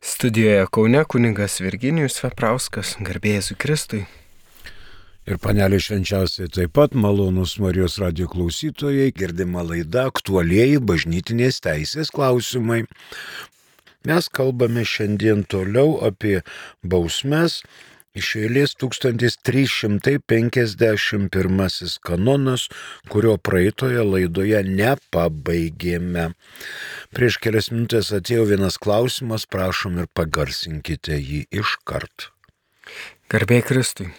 Studijoje Kaune kunigas Virginijus Veprauskas, garbė Jėzui Kristui. Ir panelė švenčiausiai taip pat malonūs Marijos radijo klausytojai, girdima laida aktualieji bažnytinės teisės klausimai. Mes kalbame šiandien toliau apie bausmes. Iš eilės 1351 kanonas, kurio praeitoje laidoje nepabaigėme. Prieš kelias minutės atėjo vienas klausimas, prašom ir pagarsinkite jį iškart. Garbė Kristui.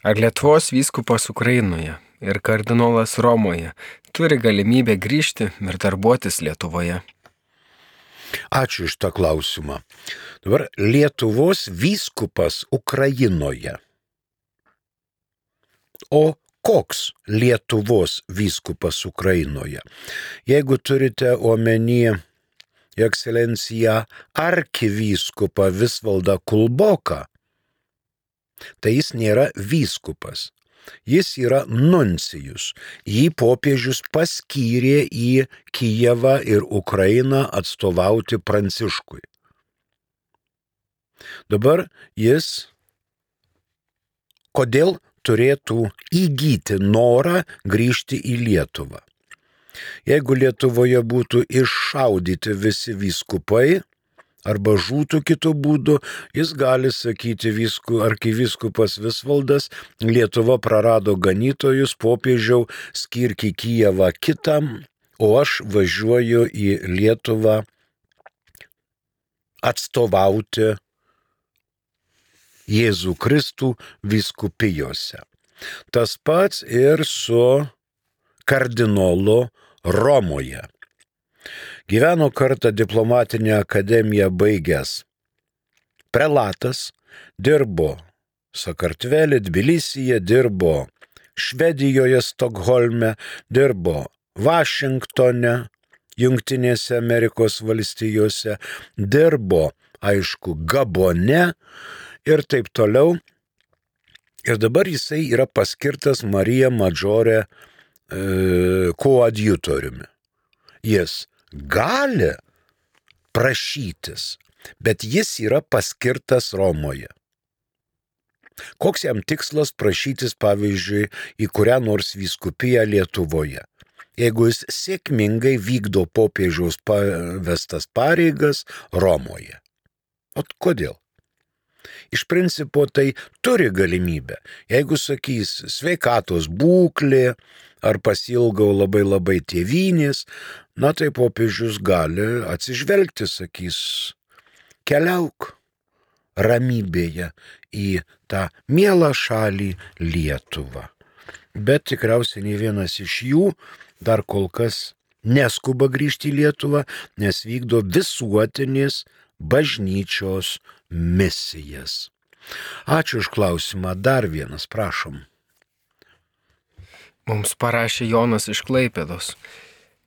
Ar Lietuvos vyskupas Ukrainoje ir kardinolas Romoje turi galimybę grįžti ir darbuotis Lietuvoje? Ačiū iš tą klausimą. Dabar Lietuvos vyskupas Ukrainoje. O koks Lietuvos vyskupas Ukrainoje? Jeigu turite omeny ekscelenciją arkivyskupą Visvaldą Kulboką, tai jis nėra vyskupas. Jis yra nuncijus. Jį popiežius paskyrė į Kijevą ir Ukrainą atstovauti Pranciškui. Dabar jis kodėl turėtų įgyti norą grįžti į Lietuvą? Jeigu Lietuvoje būtų iššaudyti visi vyskupai, arba žūtų kitų būdų, jis gali sakyti arkivyskupas Visvaldas, Lietuva prarado ganytojus, popiežiau skirk į Kijevą kitam, o aš važiuoju į Lietuvą atstovauti Jėzų Kristų vyskupijose. Tas pats ir su kardinolu Romoje. Gyveno kartą diplomatinę akademiją baigęs prelatas, dirbo Sakartvele, Tbilisyje, dirbo Švedijoje, Stokholme, dirbo Vašingtone, Jungtinėse Amerikos valstijose, dirbo, aišku, Gabone ir taip toliau. Ir dabar jisai yra paskirtas Marija Madžore koadjutoriumi. Jis gali prašytis, bet jis yra paskirtas Romoje. Koks jam tikslas prašytis, pavyzdžiui, į kurią nors vyskupiją Lietuvoje, jeigu jis sėkmingai vykdo popiežiaus pavestas pareigas Romoje? O kodėl? Iš principo tai turi galimybę. Jeigu sakys sveikatos būklė ar pasilgau labai tėvynės, na tai popiežius gali atsižvelgti, sakys, keliauk ramybėje į tą mielą šalį Lietuvą. Bet tikriausiai nei vienas iš jų dar kol kas neskuba grįžti į Lietuvą, nes vykdo visuotinės bažnyčios misijas. Ačiū už klausimą. Dar vienas, prašom. Mums parašė Jonas iš Klaipėdos.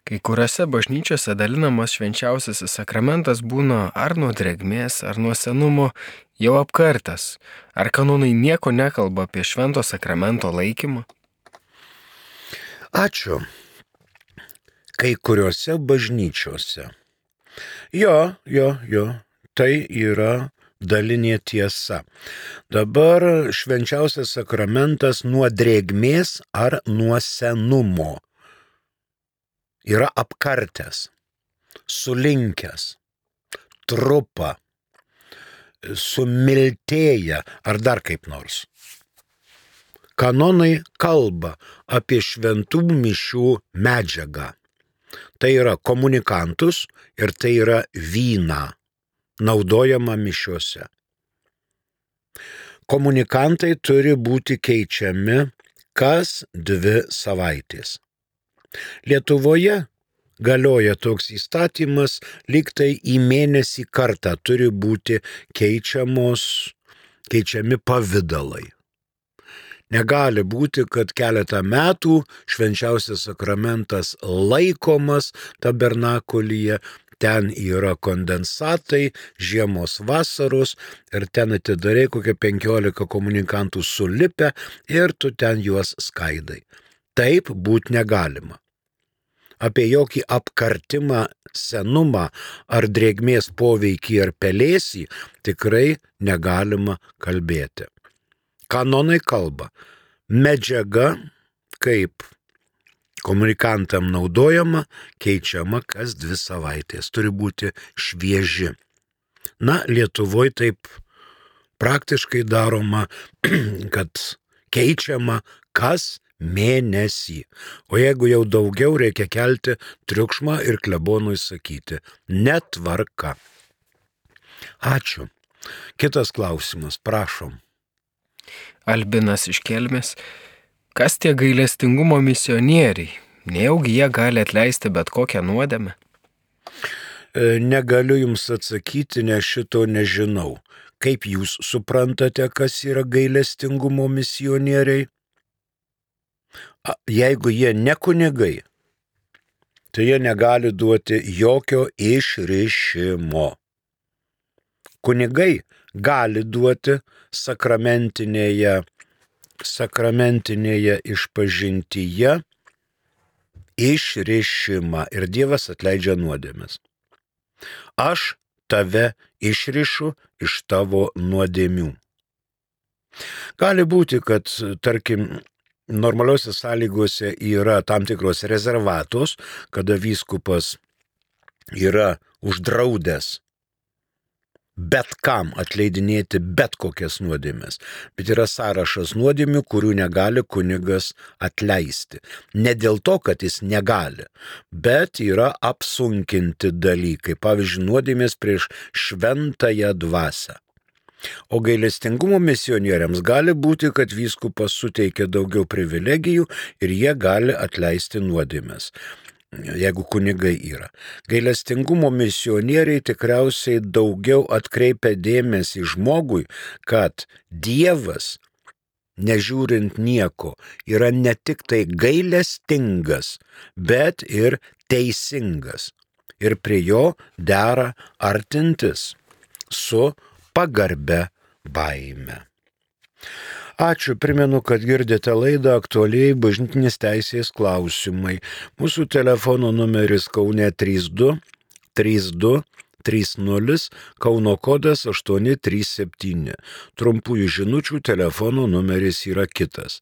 Kai kuriuose bažnyčiose dalinamas švenčiausiasis sakramentas būna ar nuo drėgmės, ar nuo senumo jau apkartas. Ar kanonai nieko nekalba apie švento sakramento laikymą? Ačiū. Kai kuriuose bažnyčiose. Jo, tai yra dalinė tiesa. Dabar švenčiausias sakramentas nuo drėgmės ar nuo senumo yra apkartęs, sulinkęs, trupa, sumiltėję ar dar kaip nors. Kanonai kalba apie šventų mišių medžiagą. Tai yra komunikantus ir tai yra vyną, naudojama mišiuose. Komunikantai turi būti keičiami kas 2 savaitės. Lietuvoje galioja toks įstatymas, lyg tai į mėnesį kartą turi būti keičiami pavidalai. Negali būti, kad keletą metų švenčiausias sakramentas laikomas tabernakulyje, ten yra kondensatai, žiemos vasaros ir ten atidarai kokią 15 komunikantų sulipę ir tu ten juos skaidai. Taip būt negalima. apie jokį apkartimą, senumą ar drėgmės poveikį ar pelėsį tikrai negalima kalbėti. Kanonai kalba, medžiaga kaip komunikantam naudojama, keičiama kas 2 savaitės, turi būti švieži. Na, Lietuvoje taip praktiškai daroma, kad keičiama kas mėnesį. O jeigu jau daugiau, reikia kelti triukšmą ir klebonui sakyti, netvarka. Ačiū. Kitas klausimas, prašom. Albinas iš Kelmės. Kas tie gailestingumo misionieriai? Nejaugi jie gali atleisti bet kokią nuodėmę? Negaliu jums atsakyti, nes šito nežinau. Kaip jūs suprantate, kas yra gailestingumo misionieriai? Jeigu jie ne kunigai, tai jie negali duoti jokio išrišimo. Kunigai gali duoti sakramentinėje išpažintyje išrišimą ir Dievas atleidžia nuodėmes. Aš tave išrišu iš tavo nuodėmių. Gali būti, kad, tarkim, normaliuose sąlygose yra tam tikros rezervatos, kada vyskupas yra uždraudęs bet kam atleidinėti bet kokias nuodėmes. Bet yra sąrašas nuodėmių, kurių negali kunigas atleisti. Ne dėl to, kad jis negali, bet yra apsunkinti dalykai. Pavyzdžiui, nuodėmės prieš šventąją dvasią. O gailestingumo misionieriams gali būti, kad vyskupas suteikia daugiau privilegijų ir jie gali atleisti nuodėmes, jeigu kunigai yra. Gailestingumo misionieriai tikriausiai daugiau atkreipia dėmesį žmogui, kad Dievas, nežiūrint nieko, yra ne tik tai gailestingas, bet ir teisingas. Ir prie jo dera artintis su pagarbia baime. Ačiū, primenu, kad girdite laidą Aktualiai bažnytinės teisės klausimai. Mūsų telefono numeris Kaune 32 32 30, Kauno kodas 837. Trumpųjų žinučių telefono numeris yra kitas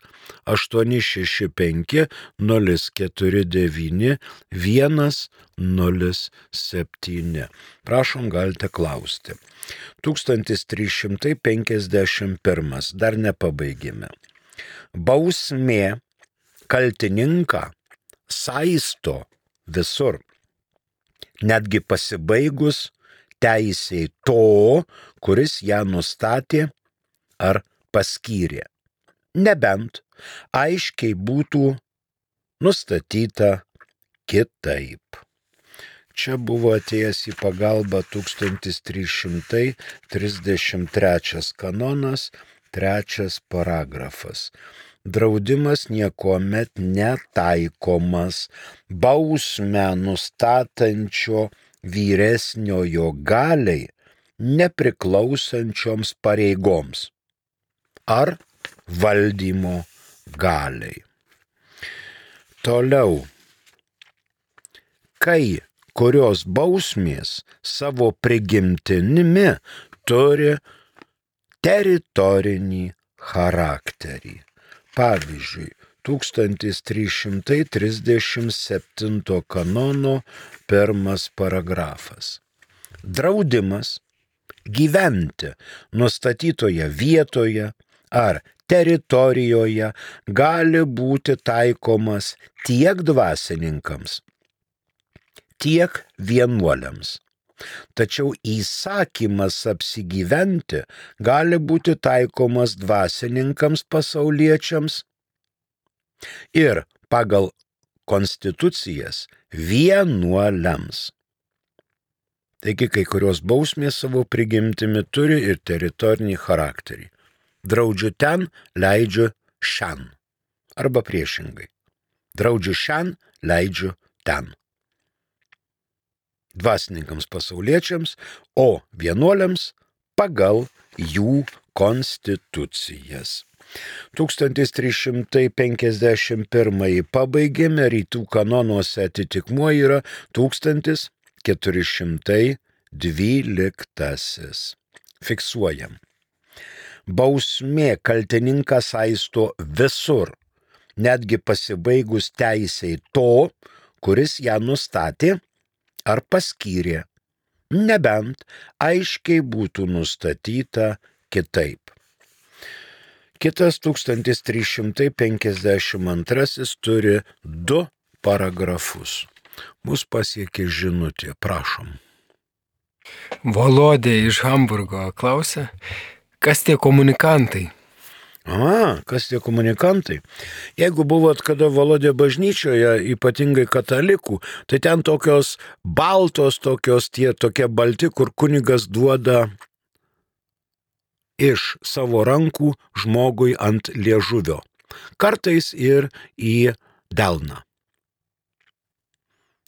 865 049 107. Prašom, galite klausti. 1351. Dar nepabaigėme. Bausmė kaltininką saisto visur. Netgi pasibaigus teisei to, kuris ją nustatė ar paskyrė. Nebent aiškiai būtų nustatyta kitaip. Čia buvo atėjęs į pagalbą 1333 kanonas, 3 paragrafas. Draudimas niekuomet netaikomas bausmę nustatančio vyresniojo galiai nepriklausančioms pareigoms ar valdymo galiai. Toliau. Kai kurios bausmės savo prigimtinimi turi teritorinį charakterį. Pavyzdžiui, 1337 kanono 1 paragrafas. Draudimas gyventi nustatytoje vietoje ar teritorijoje gali būti taikomas tiek dvasininkams, tiek vienuoliams. Tačiau įsakymas apsigyventi gali būti taikomas dvasininkams pasauliečiams ir pagal konstitucijas vienuoliams. Taigi kai kurios bausmės savo prigimtimi turi ir teritorinį charakterį. Draudžiu ten, leidžiu šen. Arba priešingai. Draudžiu šen, leidžiu ten. Dvasininkams pasauliečiams, o vienuoliams pagal jų konstitucijas. 1351 pabaigėme, rytų kanonuose atitikmuo yra 1412. Fiksuojam. Bausmė kaltininką saisto visur, netgi pasibaigus teisei to, kuris ją nustatė ar paskyrė, nebent aiškiai būtų nustatyta kitaip. Kitas 1352 turi 2 paragrafus. Mus pasiekė žinutė, prašom. Volodė iš Hamburgo klausia, kas tie komunikantai? Kas tie komunikantai? Jeigu buvot kada Volodė bažnyčioje, ypatingai katalikų, tai ten tokios baltos, tokie balti, kur kunigas duoda iš savo rankų žmogui ant liežuvio. Kartais ir į delną.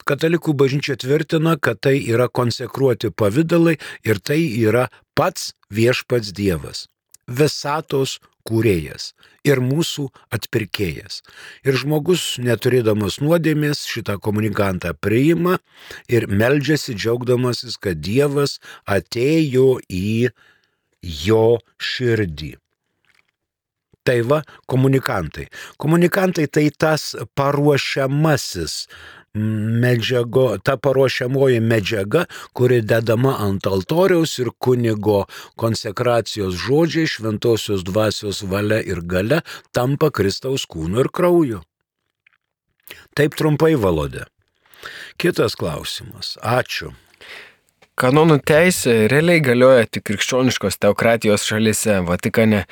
Katalikų bažnyčia tvirtina, kad tai yra konsekruoti pavidalai ir tai yra pats viešpats Dievas, visatos kūrėjas ir mūsų atpirkėjas. Ir žmogus, neturėdamas nuodėmės, šitą komunikantą priima ir meldžiasi džiaugdamasis, kad Dievas atėjo į jo širdį. Tai va, komunikantai. Komunikantai tai tas paruošiamasis ta paruošiamoji medžiaga, kuri dedama ant altoriaus ir kunigo konsekracijos žodžiai, šventosios dvasios valia ir galia tampa Kristaus kūnu ir krauju. Taip trumpai, Volodė. Kitas klausimas. Ačiū. Kanonų teisė realiai galioja tik krikščioniškos teokratijos šalyse, Vatikane.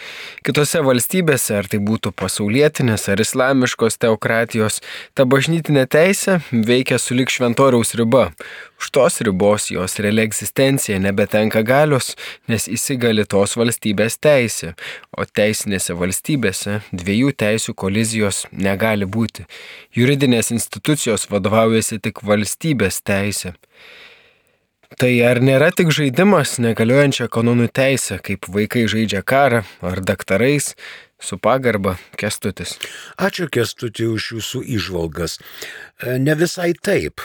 Kitose valstybėse, ar tai būtų pasaulietinės ar islamiškos teokratijos, ta bažnytinė teisė veikia sulig šventoriaus riba. Už tos ribos jos reali egzistencija nebetenka galios, nes įsigali tos valstybės teisė, o teisinėse valstybėse 2 teisių kolizijos negali būti. Juridinės institucijos vadovaujasi tik valstybės teisė. Tai ar nėra tik žaidimas negaliojančią kanonų teisę, kaip vaikai žaidžia karą ar daktarais, su pagarba, Kęstutis? Ačiū, Kęstuti, už jūsų įžvalgas. Ne visai taip.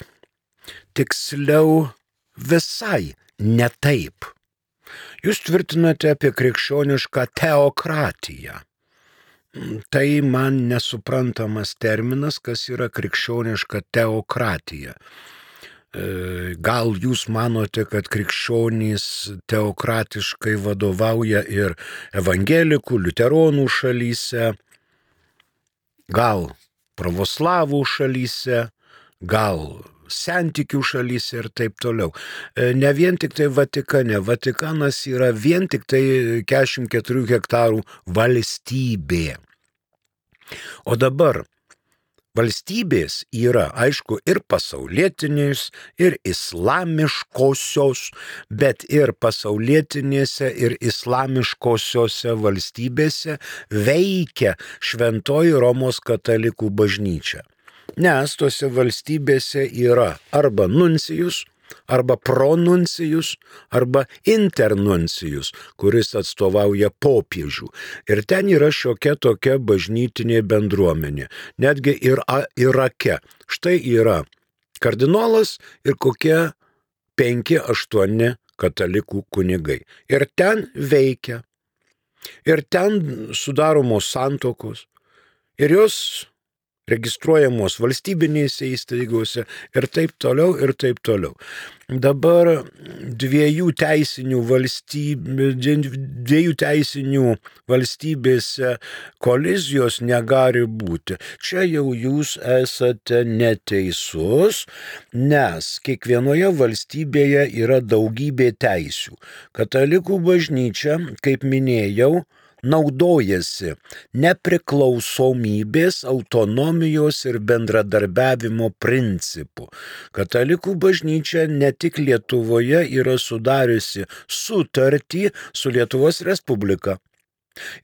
Tiksliau, visai ne taip. Jūs tvirtinate apie krikščionišką teokratiją. Tai man nesuprantamas terminas, kas yra krikščioniška teokratija. Gal jūs manote, kad krikščionys teokratiškai vadovauja ir evangelikų, liuteronų šalyse, gal pravoslavų šalyse, gal sentikių šalyse ir taip toliau. Ne vien tik tai Vatikane. Vatikanas yra vien tik tai 44 hektarų valstybė. O dabar valstybės yra, aišku, ir pasaulietinės, ir islamiškosios, bet ir pasaulietinėse, ir islamiškosiose valstybėse veikia Šventoji Romos katalikų bažnyčia. Nes tose valstybėse yra arba nuncijus, arba pronuncijus, arba internuncijus, kuris atstovauja popiežių. Ir ten yra šiokia tokia bažnytinė bendruomenė. Netgi ir Irake. Štai yra kardinolas ir kokie 5-8 katalikų kunigai. Ir ten veikia. Ir ten sudaromos santuokos. Ir jos registruojamos valstybinėse įstaigose ir taip toliau, ir taip toliau. Dabar 2 teisinių valstybėse kolizijos negali būti. Čia jau jūs esate neteisus, nes kiekvienoje valstybėje yra daugybė teisių. Katalikų bažnyčia, kaip minėjau, naudojasi nepriklausomybės, autonomijos ir bendradarbiavimo principu. Katalikų bažnyčia ne tik Lietuvoje yra sudariusi sutartį su Lietuvos Respublika.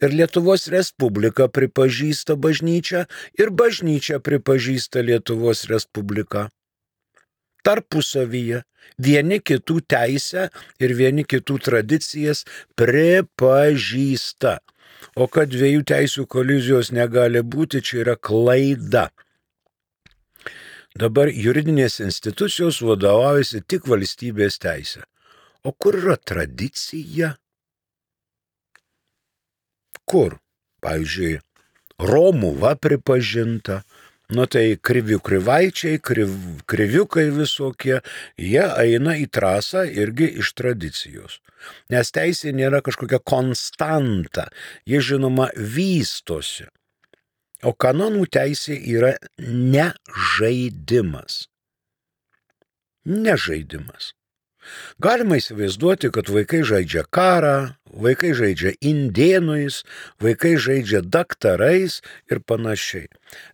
Ir Lietuvos Respublika pripažįsta bažnyčią ir bažnyčia pripažįsta Lietuvos Respubliką. Tarpusavyje vieni kitų teisę ir vieni kitų tradicijas pripažįsta. O kad dviejų teisių kolizijos negali būti, čia yra klaida. Dabar juridinės institucijos vadovaujasi tik valstybės teisė. O kur yra tradicija? Kur? Pavyzdžiui, Romuva pripažinta, tai krivaičiai, kriviukai visokie, jie eina į trasą irgi iš tradicijos. Nes teisė nėra kažkokia konstanta, jie žinoma vystosi. O kanonų teisė yra ne žaidimas. Ne žaidimas. Galima įsivaizduoti, kad vaikai žaidžia karą, vaikai žaidžia indėnais, vaikai žaidžia daktarais ir panašiai.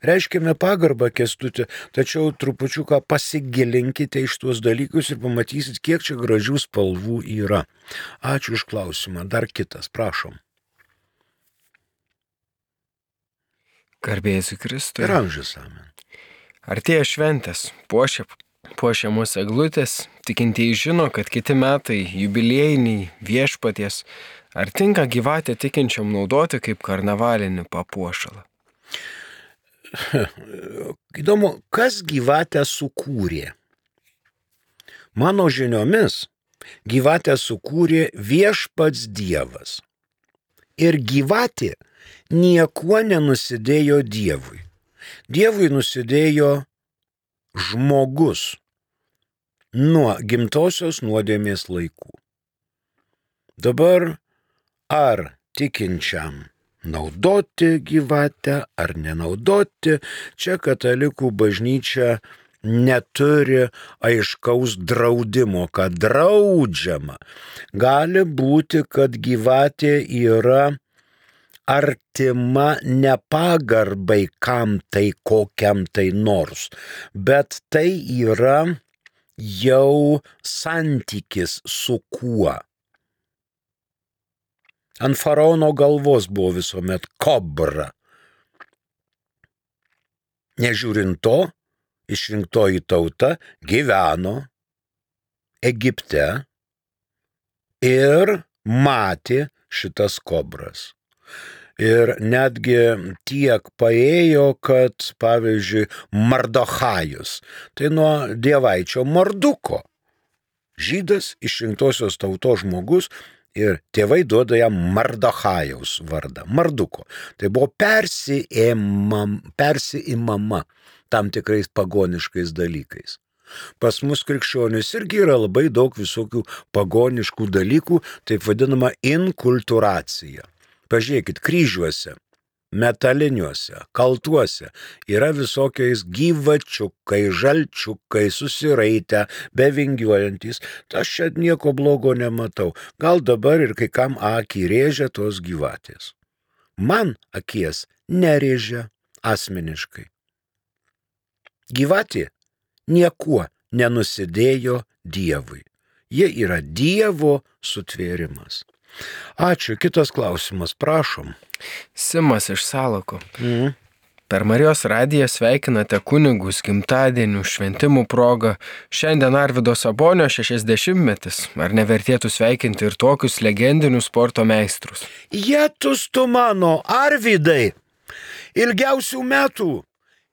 Reiškime pagarbą, Kęstuti, tačiau trupučiuką pasigilinkite iš tuos dalykus ir pamatysit, kiek čia gražių spalvų yra. Ačiū už klausimą. Dar kitas, prašom. Garbė Jėzui Kristui. Ir amžius amen. Artėja šventės, puošiamos eglutės, tikintieji žino, kad kiti metai jubiliejiniai viešpaties. Ar tinka gyvatę tikinčiam naudoti kaip karnavalinį papuošalą? Įdomu, kas gyvatę sukūrė? Mano žiniomis, gyvatę sukūrė viešpats Dievas. Ir gyvatė niekuo nenusidėjo Dievui. Dievui nusidėjo žmogus nuo gimtosios nuodėmės laikų. Dabar ar tikinčiam naudoti gyvatę ar nenaudoti, čia katalikų bažnyčia neturi aiškaus draudimo, kad draudžiama. Gali būti, kad gyvatė yra artima nepagarbai kam tai kokiam tai nors, bet tai yra jau santykis su kuo. Ant faraono galvos buvo visuomet kobra. Nežiūrint to, išrinktoji tauta gyveno Egipte ir matė šitas kobras. Ir netgi tiek paėjo, kad, pavyzdžiui, Mardochajus, tai nuo dievaičio Marduko. Žydas, išrinktosios tautos žmogus, ir tėvai duoda jam Mardochajaus vardą, Marduko. Tai buvo persiimama tam tikrais pagoniškais dalykais. Pas mus krikščionis irgi yra labai daug visokių pagoniškų dalykų, taip vadinama inkulturacija. Pažiūrėkit, kryžiuose, metaliniuose, kaltuose yra visokiais gyvačiukai, žalčiukai, susiraitę, bevingiuojantys. Aš čia nieko blogo nematau. Gal dabar ir kai kam akį rėžia tos gyvatės. Man akies nerėžia asmeniškai. Gyvatė niekuo nenusidėjo Dievui. Jie yra Dievo sutvėrimas. Ačiū. Kitas klausimas, prašom. Simas iš Salako. Per Marijos radiją sveikinate kunigus gimtadienių šventimų progą. Šiandien Arvydo Sabonio 60-metis. Ar nevertėtų sveikinti ir tokius legendinius sporto meistrus? Jėtus tu mano, Arvydai! Ilgiausių metų!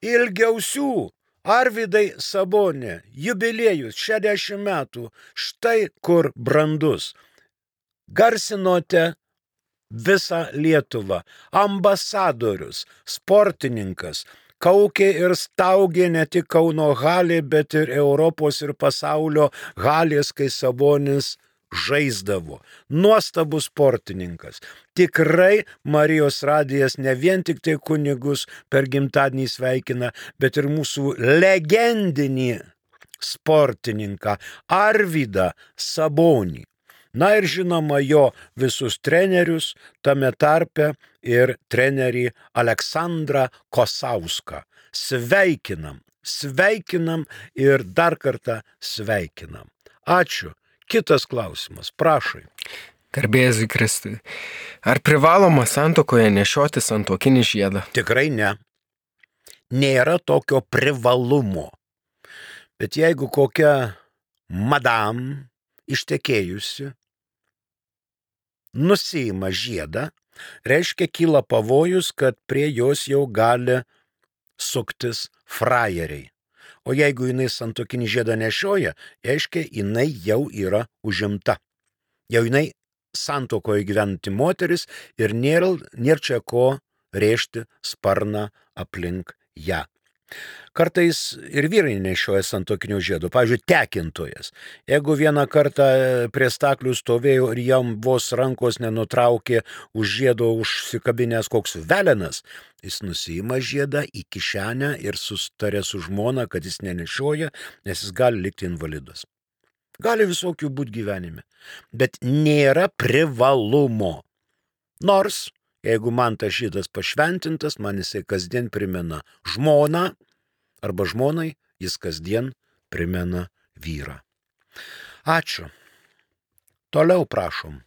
Ilgiausių! Arvydai Sabonė, jubiliejus 60 metų. Štai kur brandus. Garsinote visą Lietuvą, ambasadorius, sportininkas, kaukė ir staugė ne tik Kauno halė, bet ir Europos ir pasaulio halės, kai Sabonis žaisdavo. Nuostabus sportininkas. Tikrai Marijos radijas ne vien tik tai kunigus per gimtadienį sveikina, bet ir mūsų legendinį sportininką Arvydą Sabonį. Na ir žinoma jo visus trenerius, tame tarpe ir trenerį Aleksandrą Kosauską. Sveikinam ir dar kartą sveikinam. Ačiū. Kitas klausimas, prašai. Garbė Jėzui Kristui. Ar privaloma santuokoje nešioti santuokinį žiedą? Tikrai ne. Nėra tokio privalumo. Bet jeigu kokia madam ištekėjusi nusiima žiedą, Reiškia, kyla pavojus, kad prie jos jau gali suktis frajeriai. O jeigu jinai santuokinį žiedą nešioja, reiškia, jinai jau yra užimta. Jau jinai santuokoje gyventi moteris ir nėra čia ko rėžti sparną aplink ją. Kartais ir vyrai nešioja santuokinio žiedo, pavyzdžiui, tekintojas. Jeigu vieną kartą prie staklių stovėjo ir jam vos rankos nenutraukė už žiedo užsikabinęs koks velenas, jis nusiima žiedą į kišenę ir sustarė su žmona, kad jis nenešioja, nes jis gali likti invalidas. Gali visokių būti gyvenime, bet nėra privalumo. Nors, jeigu man tas žiedas pašventintas, man jisai kasdien primena žmoną, arba žmonai jis kasdien primena vyrą. Ačiū. Toliau prašom.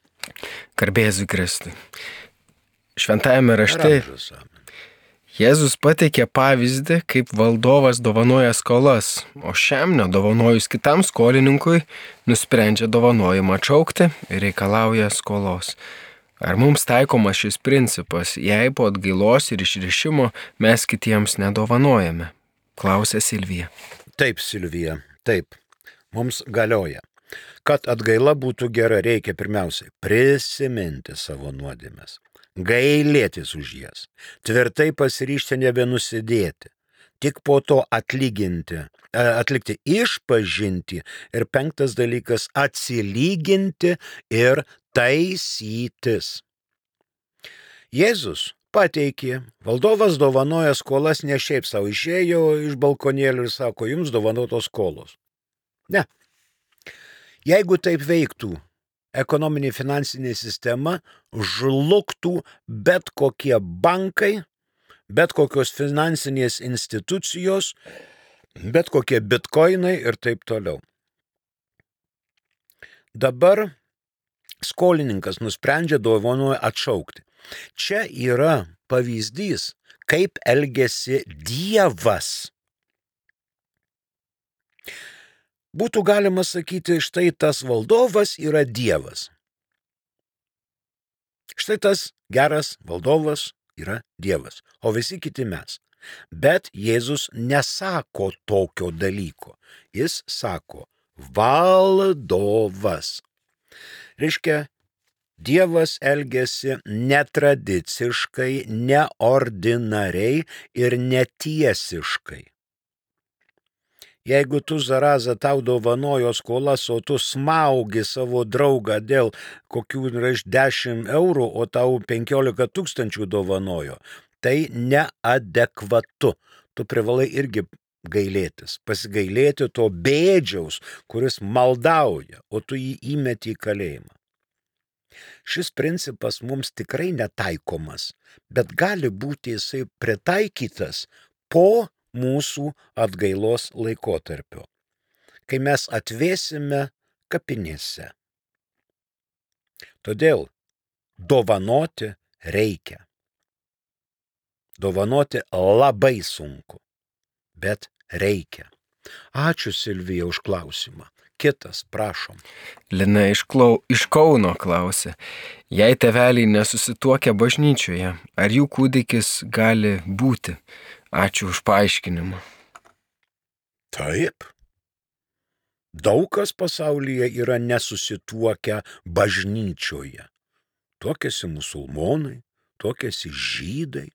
Garbėzui Kristui. Šventajame rašte Jėzus pateikė pavyzdį, kaip valdovas dovanoja skolas, o šiam nedovanojus kitam skolininkui nusprendžia dovanojimą atšaukti ir reikalauja skolos. Ar mums taikomas šis principas, jei po atgailos ir išrišimo mes kitiems nedovanojame? Klausė Silvija. Taip, Silvija, taip. Mums galioja. Kad atgaila būtų gera, reikia pirmiausiai prisiminti savo nuodėmes, gailėtis už jas, tvirtai pasiryžti nebenusidėti, tik po to atlikti išpažinti ir 5 dalykas atsilyginti ir taisytis. Jėzus pateikė, valdovas dovanoja skolas ne šiaip savo, išėjo iš balkonėlių ir sako, jums dovanotos skolos. Ne. Jeigu taip veiktų ekonominė finansinė sistema, žlugtų bet kokie bankai, bet kokios finansinės institucijos, bet kokie bitkoinai ir taip toliau. Dabar skolininkas nusprendžia dovanoja atšaukti. Čia yra pavyzdys, kaip elgiasi Dievas. Būtų galima sakyti, štai tas valdovas yra Dievas. Štai tas geras valdovas yra Dievas, o visi kiti mes. Bet Jėzus nesako tokio dalyko. Jis sako valdovas. Reiškia, Dievas elgiasi netradiciškai, neordinariai ir netiesiškai. Jeigu tu, zaraza, tau dovanojo skolas, o tu smaugi savo draugą dėl kokių 10 eurų, o tau 15 000 dovanojo, tai neadekvatu. Tu privalai irgi gailėtis, pasigailėti to bėdžiaus, kuris maldauja, o tu jį įmeti į kalėjimą. Šis principas mums tikrai netaikomas, bet gali būti jisai pritaikytas po mūsų atgailos laikotarpio, kai mes atvėsime kapinėse. Todėl dovanoti reikia. Dovanoti labai sunku, bet reikia. Ačiū, Silvija, už klausimą. Kitas, prašom. Lina iš Kauno klausė, jei tėveliai nesusituokia bažnyčioje, ar jų kūdikis gali būti? Ačiū už paaiškinimą. Taip. Daug kas pasaulyje yra nesusituokę bažnyčioje. Tuokiasi musulmonai, tuokiasi žydai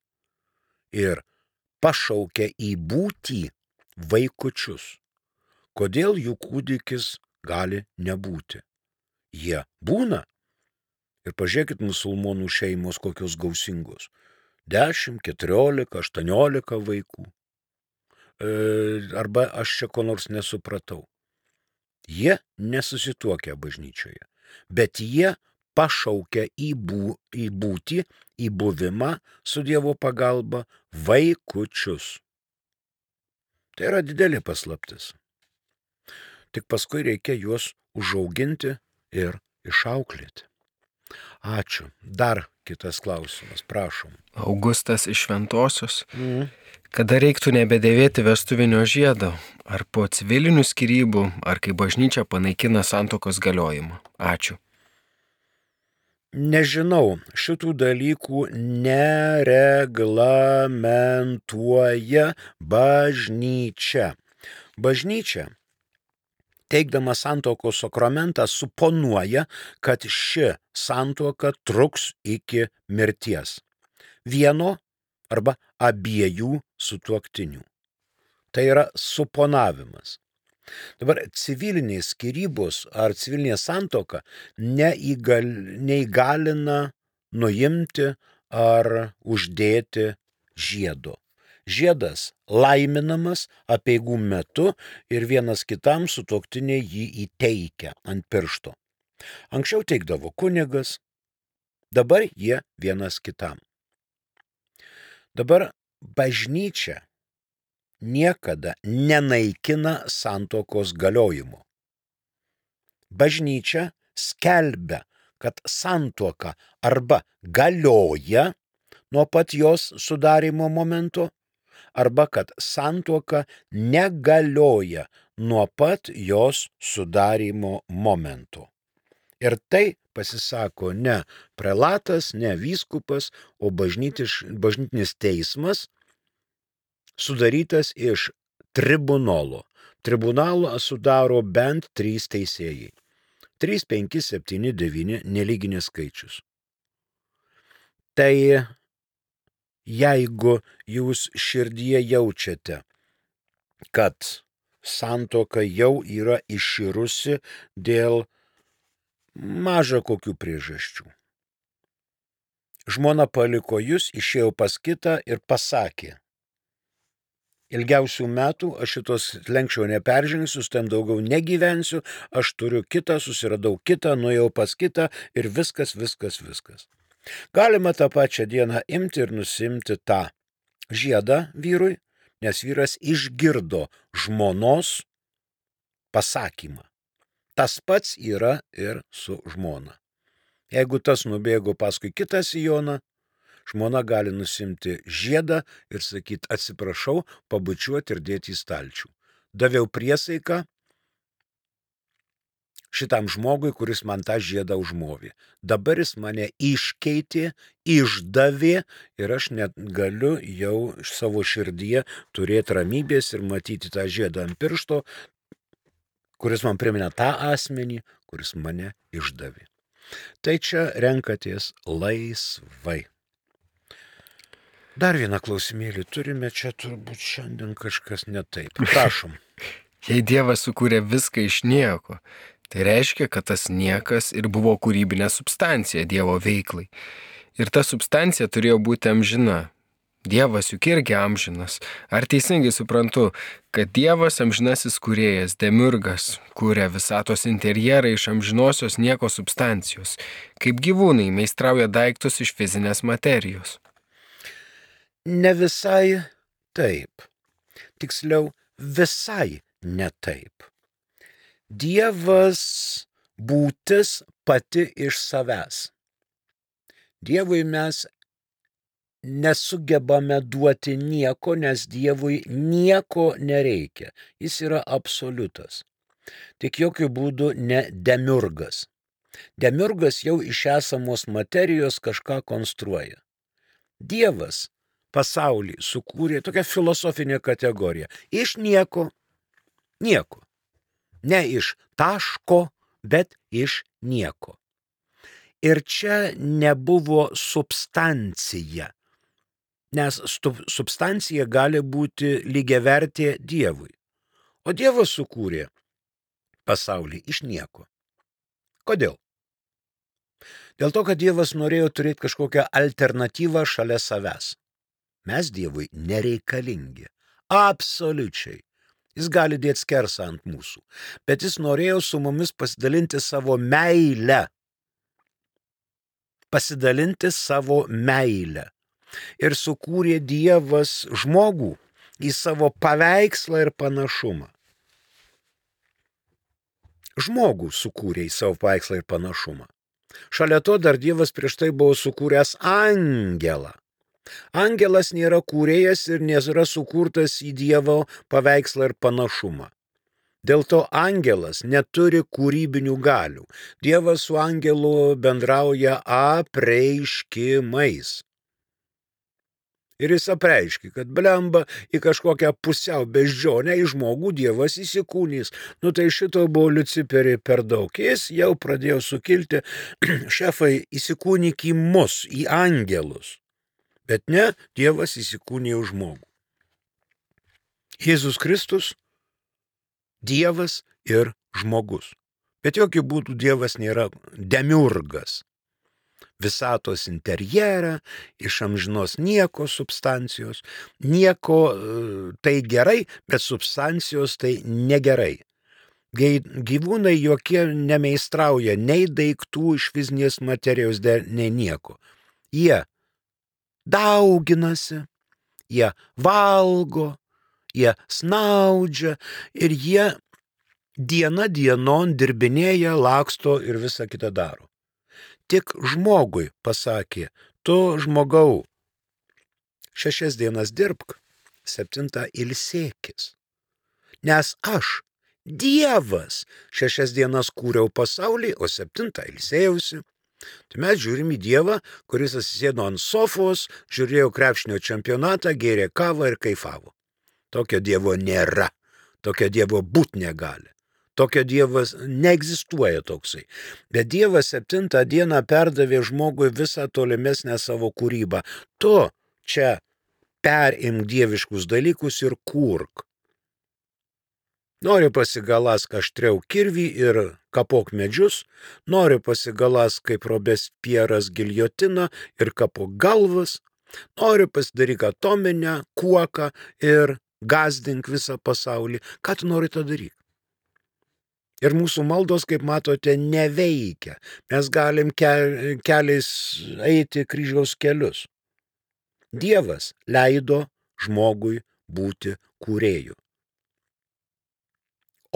ir pašaukia į būtį vaikučius. Kodėl jų kūdikis gali nebūti? Jie būna. Ir pažiūrėkit musulmonų šeimos kokios gausingos. 10, 14, 18 vaikų. Arba aš čia ko nors nesupratau. Jie nesusituokia bažnyčioje, bet jie pašaukia į būtį, į buvimą su Dievo pagalba vaikučius. Tai yra didelė paslaptis. Tik paskui reikia juos užauginti ir išauklėti. Ačiū. Dar kitas klausimas, prašom. Augustas iš Šventosios. Kada reiktų nebedėvėti vestuvinio žiedo? Ar po civilinių skyrybų, ar kai bažnyčia panaikina santuokos galiojimą? Ačiū. nežinau, šitų dalykų nereglamentuoja bažnyčia. Bažnyčia, teikdama santuokos sakramentą, suponuoja, kad ši santuoka truks iki mirties. Vieno arba abiejų sutuoktinių. Tai yra suponavimas. Dabar civilinės skyrybos ar civilinė santuoka neįgalina nuimti ar uždėti žiedo. Žiedas laiminamas apeigų metu ir vienas kitam sutuoktiniai jį įteikia ant piršto. Anksčiau teikdavo kunigas, dabar jie vienas kitam. Dabar bažnyčia niekada nenaikina santuokos galiojimo. Bažnyčia skelbia, kad santuoka arba galioja nuo pat jos sudarimo momento, arba kad santuoka negalioja nuo pat jos sudarimo momento. Ir tai pasisako ne prelatas, ne vyskupas, o bažnytinis teismas, sudarytas iš tribunolo. Tribunalą sudaro bent 3 teisėjai. 3, 5, 7, 9 nelyginis skaičius. Tai jeigu jūs širdyje jaučiate, kad santuoka jau yra iširusi dėl maža kokių priežasčių. Žmona paliko jūs, išėjo pas kitą ir pasakė: ilgiausių metų aš šitos lenkščio neperžengsiu, ten daugiau negyvensiu, aš turiu kitą, susiradau kitą, nuėjau pas kitą ir viskas. Galima tą pačią dieną imti ir nusimti tą žiedą vyrui, nes vyras išgirdo žmonos pasakymą. Tas pats yra ir su žmona. Jeigu tas nubėgo paskui kitą sijoną, žmona gali nusimti žiedą ir sakyti: atsiprašau, pabučiuoti ir dėti į stalčių. Daviau priesaiką šitam žmogui, kuris man tą žiedą užmovė. Dabar jis mane iškeitė, išdavė ir aš net galiu jau savo širdyje turėti ramybės ir matyti tą žiedą ant piršto, kuris man primena tą asmenį, kuris mane išdavė. Tai čia renkatės laisvai. Dar vieną klausimėlį turime, čia turbūt šiandien kažkas ne taip. Prašom. Jei Dievas sukūrė viską iš nieko, tai reiškia, kad tas niekas ir buvo kūrybinė substancija Dievo veiklai. Ir ta substancija turėjo būti amžina. Dievas juk irgi amžinas. Ar teisingai suprantu, kad Dievas amžinasis kūrėjas, demiurgas, kūrė visatos interjerą iš amžinosios nieko substancijos, kaip gyvūnai meistrauja daiktus iš fizinės materijos? Ne visai taip. Tiksliau, visai ne taip. Dievas būtis pati iš savęs. Dievui mes nesugebame duoti nieko, nes Dievui nieko nereikia. Jis yra absoliutas. Tik jokių būdų ne demiurgas. Demiurgas jau iš esamos materijos kažką konstruoja. Dievas pasaulį sukūrė tokią filosofinę kategoriją. Iš nieko. Nieko. Ne iš taško, bet iš nieko. Ir čia nebuvo substancija. Nes substancija gali būti lygiavertė Dievui. O Dievas sukūrė pasaulį iš nieko. Kodėl? Dėl to, kad Dievas norėjo turėti kažkokią alternatyvą šalia savęs. Mes Dievui nereikalingi. Absoliučiai. Jis gali dėti skersą ant mūsų. Bet jis norėjo su mumis pasidalinti savo meilę. Pasidalinti savo meilę. Ir sukūrė Dievas žmogų į savo paveikslą ir panašumą. Žmogų sukūrė į savo paveikslą ir panašumą. Šalia to dar Dievas prieš tai buvo sukūręs angelą. Angelas nėra kūrėjas ir nėra sukurtas į Dievo paveikslą ir panašumą. Dėl to angelas neturi kūrybinių galių. Dievas su angelu bendrauja apreiškimais. Ir jis apreiškia, kad blemba į kažkokią pusiau beždžionę į žmogų Dievas įsikūnys. Nu tai šito buvo Liuciperį per daug. Jis jau pradėjo sukilti, šefai, įsikūnyk į mus, į angelus. Bet ne, Dievas įsikūnė į žmogų. Jėzus Kristus, Dievas ir žmogus. Bet jokių būdų Dievas nėra demiurgas. Visatos interjerą, iš amžinos nieko substancijos. Nieko tai gerai, bet substancijos tai negerai. Gyvūnai jokie nemeistrauja nei daiktų iš fizinės materijos, nei nieko. Jie dauginasi, jie valgo, jie snaudžia ir jie diena dienon dirbinėja, laksto ir visą kitą daro. Tik žmogui pasakė, tu žmogau, 6 dienas dirbk, 7 ilsėkis. Nes aš, Dievas, 6 dienas kūriau pasaulį, o 7 ilsėjausi. Tai mes žiūrim į Dievą, kuris atsisėdo ant sofos, žiūrėjo krepšinio čempionatą, gėrė kavą ir kaifavo. Tokio Dievo nėra, tokio Dievo būt negali. Tokio Dievas neegzistuoja toksai. Bet Dievas 7 dieną perdavė žmogui visą tolimesnę savo kūrybą. Tu čia perimk dieviškus dalykus ir kurk. Nori pasigalask aštriau kirvį ir kapok medžius, nori pasigalask kaip Robespieras giljotiną ir kapok galvas, nori pasidaryk atominę kuoką ir gazdink visą pasaulį. Ką tu nori tą daryti? Ir mūsų maldos, kaip matote, neveikia. Mes galim keliais eiti kryžiaus kelius. Dievas leido žmogui būti kūrėju.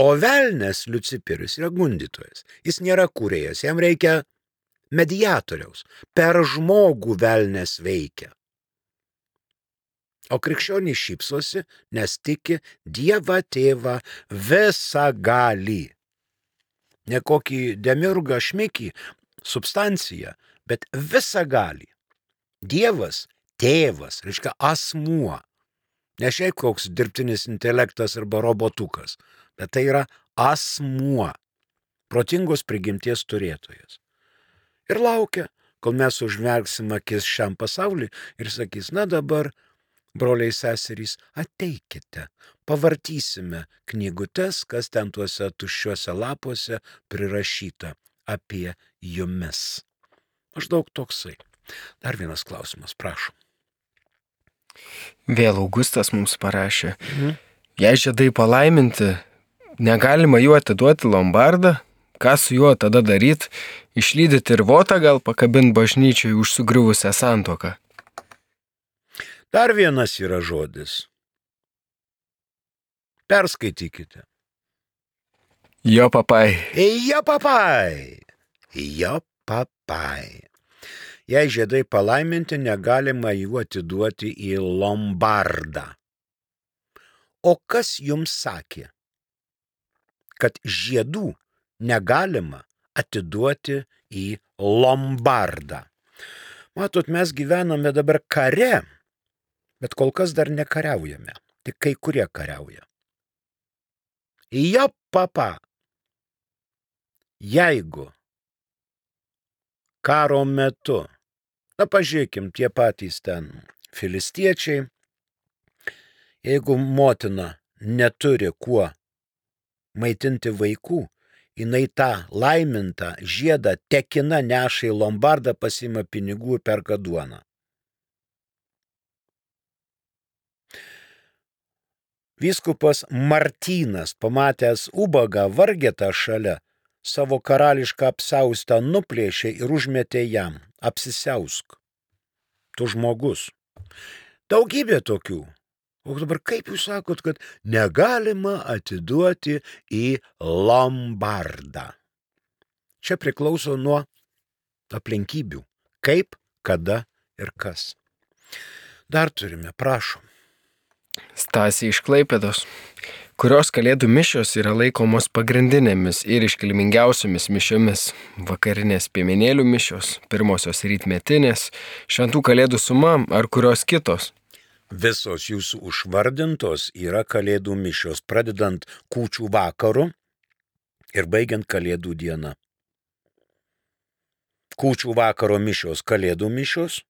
O velnias Liuciperis yra gundytojas. Jis nėra kūrėjas, jam reikia mediatoriaus. Per žmogų velnias veikia. O krikščionys šypsosi, nes tiki Dievą tėvą visagalį. Ne kokį demiurgą šmikį, substanciją, bet visagalį. Dievas, tėvas, reiškia asmuo. Ne šiaip koks dirbtinis intelektas arba robotukas, bet tai yra asmuo, protingos prigimties turėtojas. Ir laukia, kol mes užmerksim akis šiam pasauliui ir sakys, na dabar, broliai seserys, ateikite, pavartysime knygutes, kas ten tuose tuščiuose lapuose prirašyta apie jumis. Maždaug toksai. Dar vienas klausimas, prašom. Vėl Augustas mums parašė. Jei žiedai palaiminti, negalima jų atiduoti lombardą, ką su juo tada daryti? Išlydyti ir votą gal pakabinti bažnyčiai už sugriuvusią santuoką? Dar vienas yra žodis. Perskaitykite. Jo papai. Jo papai. Jo papai. Jei žiedai palaiminti, negalima jų atiduoti į lombardą. O kas jums sakė, kad žiedų negalima atiduoti į lombardą? Matot, mes gyvename dabar kare, bet kol kas dar nekariaujame. Tik kai kurie kariauja. Jo papa. Jeigu karo metu, na pažiūrėkim, tie patys ten filistiečiai, jeigu motina neturi kuo maitinti vaikų, jinai tą laimintą žiedą tekina neša į lombardą, pasiima pinigų ir perka duoną. Vyskupas Martynas, pamatęs ubagą vargetą šalia, savo karališką apsiaustą nuplėšė ir užmetė jam. Apsisiausk. Tu žmogus. Daugybė tokių. O dabar kaip jūs sakot, kad negalima atiduoti į lombardą? Čia priklauso nuo aplinkybių. Kaip, kada ir kas. Dar turime, prašom. Stasė iš Klaipėdos. kurios kalėdų mišios yra laikomos pagrindinėmis ir iškilmingiausiomis mišiomis. Vakarinės piemenėlių mišios, pirmosios rytmetinės, šventų kalėdų suma ar kurios kitos. Visos jūsų užvardintos yra kalėdų mišios, pradedant kūčių vakaru ir baigiant kalėdų dieną. Kūčių vakaro mišios kalėdų mišios,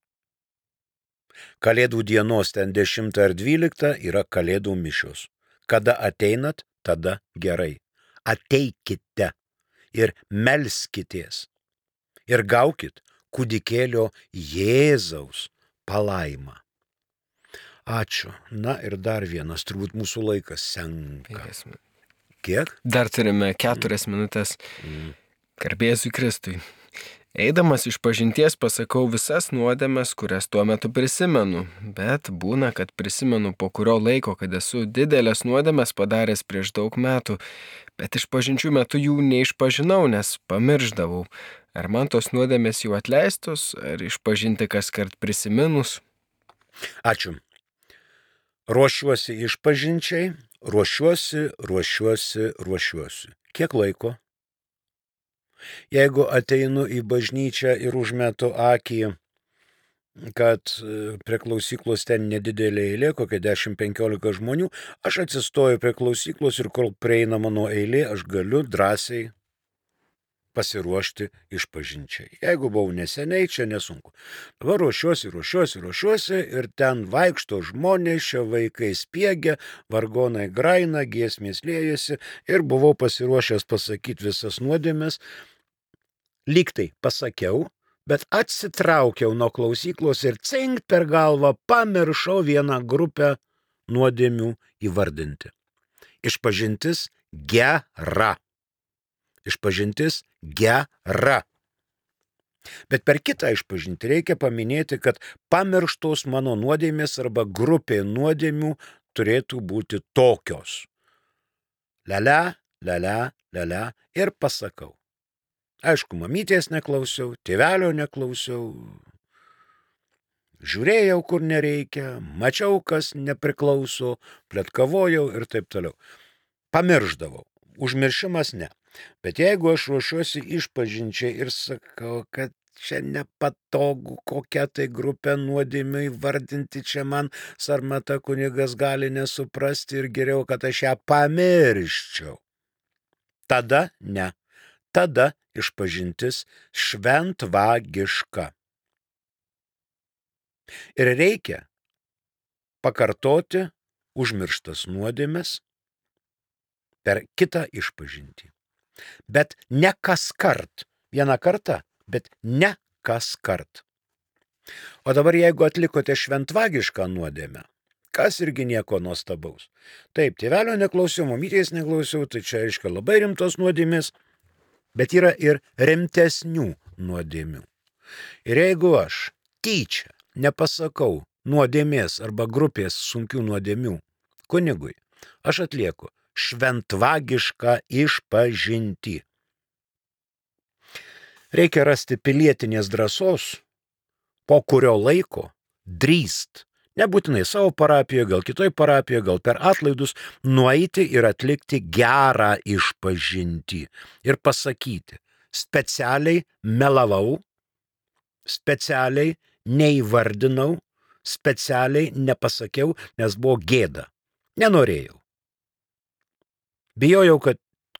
kalėdų dienos ten 10 ar 12 yra kalėdų mišios. Kada ateinat, tada gerai. Ateikite ir melskitės ir gaukit kūdikėlio Jėzaus palaimą. Ačiū. Na ir dar vienas, turbūt mūsų laikas senka. Kiek? Dar turime 4 minutės. Garbė Jėzui Kristui. Eidamas iš pažinties pasakau visas nuodėmes, kurias tuo metu prisimenu, bet būna, kad prisimenu po kurio laiko, kad esu didelės nuodėmes padaręs prieš daug metų, bet iš pažinčių metu jų neišpažinau, nes pamirždavau. Ar man tos nuodėmės jau atleistos, ar išpažinti kaskart prisiminus? Ačiū. Ruošiuosi išpažinčiai, ruošiuosi. Kiek laiko? Jeigu ateinu į bažnyčią ir užmetu akį, kad prie klausyklos ten nedidelė eilė, kokia 10-15 žmonių, aš atsistoju prie klausyklos ir kol prieina mano eilė, aš galiu drąsiai pasiruošti išpažinčiai. Jeigu buvau neseniai, čia nesunku. Dabar ruošiuosi ir ten vaikšto žmonės, čia vaikai spiegia, vargonai graina, giesmės liejasi ir buvau pasiruošęs pasakyti visas nuodėmes. Lygtai pasakiau, bet atsitraukiau nuo klausyklos ir cinkt per galvą pamiršau vieną grupę nuodėmių įvardinti. Išpažintis gera. Bet per kitą išpažinti reikia paminėti, kad pamirštos mano nuodėmės arba grupė nuodėmių turėtų būti tokios. Lia ir pasakau. Aišku, mamytės neklausiau, tėvelio neklausiau, žiūrėjau, kur nereikia, mačiau, kas nepriklauso, pletkavojau ir taip toliau. Pamirždavau. Užmiršimas ne. Bet jeigu aš ruošiuosi išpažinčiai ir sakau, kad čia nepatogu, kokią tai grupę nuodėmių įvardinti, čia man sarmata kunigas gali nesuprasti ir geriau, kad aš ją pamirščiau. Tada ne. Tada išpažintis šventvagiška. Ir reikia pakartoti užmirštas nuodėmes per kitą išpažintį. Bet ne kaskart. Vieną kartą, bet ne kaskart. O dabar jeigu atlikote šventvagišką nuodėmę, kas irgi nieko nuostabaus. Taip, tėvelio neklausiau, mamytės neklausiau, tai čia reiškia labai rimtos nuodėmės, bet yra ir rimtesnių nuodėmių. Ir jeigu aš tyčia nepasakau nuodėmės arba grupės sunkių nuodėmių kunigui, aš atlieku šventvagišką išpažintį. Reikia rasti pilietinės drąsos, po kurio laiko drįst, nebūtinai savo parapijoje, gal kitoj parapijoje, gal per atlaidus, nueiti ir atlikti gerą išpažintį ir pasakyti, specialiai melavau, specialiai neįvardinau, specialiai nepasakiau, nes buvo gėda. Nenorėjau. Bijojau, kad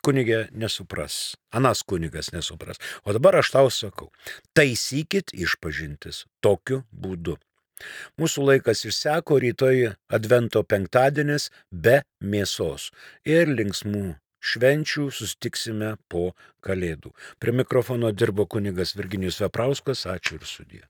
kunigė nesupras, anas kunigas nesupras. O dabar aš tau sakau, taisykit išpažintis tokiu būdu. Mūsų laikas išseko, rytoj Advento penktadienis be mėsos ir linksmų švenčių susitiksime po Kalėdų. Prie mikrofono dirbo kunigas Virginijus Veprauskas, ačiū ir sudie.